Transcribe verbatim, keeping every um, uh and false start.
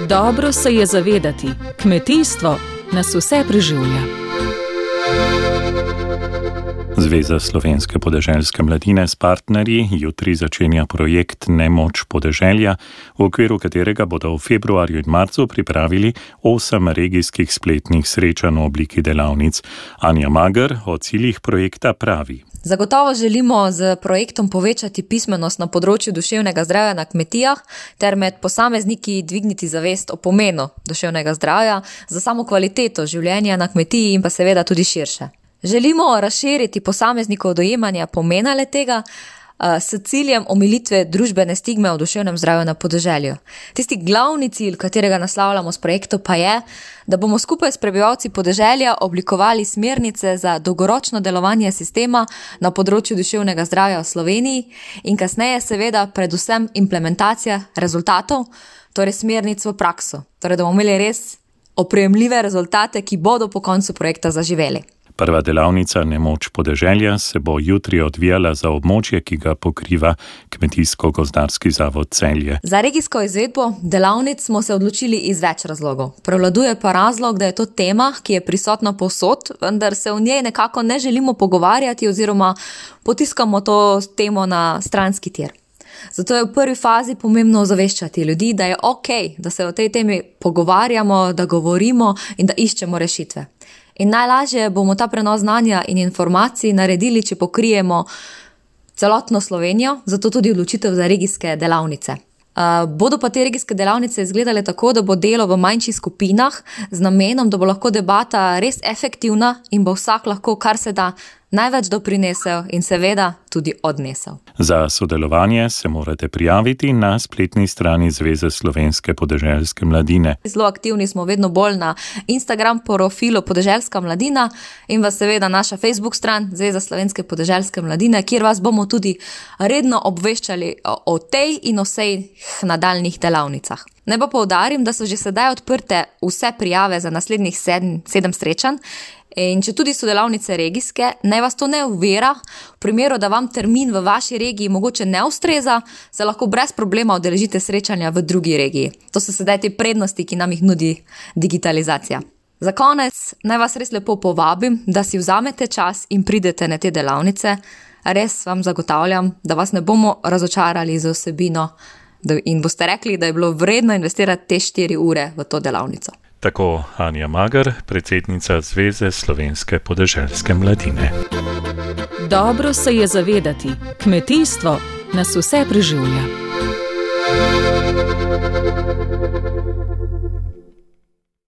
Dobro se je zavedati, kmetijstvo nas vse preživlja. Zveza slovenske podeželske mladine s partnerji jutri začenja projekt Nemoč podeželja, v okviru katerega bodo v februarju in marcu pripravili osem regijskih spletnih srečanj v obliki delavnic. Anja Mager o ciljih projekta pravi. Zagotovo želimo z projektom povečati pismenost na področju duševnega zdravja na kmetijah ter med posamezniki dvigniti zavest o pomenu duševnega zdravja za samo kvaliteto življenja na kmetiji in pa seveda tudi širše. Želimo razširiti posameznikov dojemanja pomena le-tega s ciljem omilitve družbene stigme o duševnem zdravju na podeželju. Tisti glavni cilj, katerega naslavljamo s projektom, pa je, da bomo skupaj s prebivalci podeželja oblikovali smernice za dolgoročno delovanje sistema na področju duševnega zdravja v Sloveniji in kasneje seveda predvsem implementacija rezultatov, torej smernic v prakso. Torej, da bomo imeli res oprijemljive rezultate, ki bodo po koncu projekta zaživeli. Prva delavnica Nemoč podeželja se bo jutri odvijala za območje, ki ga pokriva Kmetijsko-gozdarski zavod Celje. Za regijsko izvedbo delavnic smo se odločili iz več razlogov. Prevladuje pa razlog, da je to tema, ki je prisotna povsod, vendar se o njej nekako ne želimo pogovarjati oziroma potiskamo to temo na stranski tir. Zato je v prvi fazi pomembno ozaveščati ljudi, da je okej, da se o tej temi pogovarjamo, da govorimo in da iščemo rešitve. In najlažje bomo ta prenos znanja in informacij naredili, če pokrijemo celotno Slovenijo, zato tudi odločitev za regijske delavnice. Uh, bodo pa te regijske delavnice izgledale tako, da bo delo v manjših skupinah z namenom, da bo lahko debata res efektivna in bo vsak lahko kar se da največ doprinesel in seveda tudi odnesel. Za sodelovanje se morate prijaviti na spletni strani Zveze slovenske podeželske mladine. Zelo aktivni smo vedno bolj na Instagram profilu Podeželska mladina in vas seveda naša Facebook stran Zveza slovenske podeželske mladine, kjer vas bomo tudi redno obveščali o, o tej in vseh nadaljnih delavnicah. Naj pa poudarim, da so že sedaj odprte vse prijave za naslednjih sedem, sedem srečanj. In če tudi so delavnice regijske, naj vas to ne ovira, v primeru, da vam termin v vaši regiji mogoče ne ustreza, se lahko brez problema udeležite srečanja v drugi regiji. To so sedaj te prednosti, ki nam jih nudi digitalizacija. Za konec naj vas res lepo povabim, da si vzamete čas in pridete na te delavnice. Res vam zagotavljam, da vas ne bomo razočarali z vsebino in boste rekli, da je bilo vredno investirati te štiri ure v to delavnico. Tako Anja Mager, predsednica Zveze slovenske podeželske mladine. Dobro se je zavedati, kmetijstvo nas vse preživlja.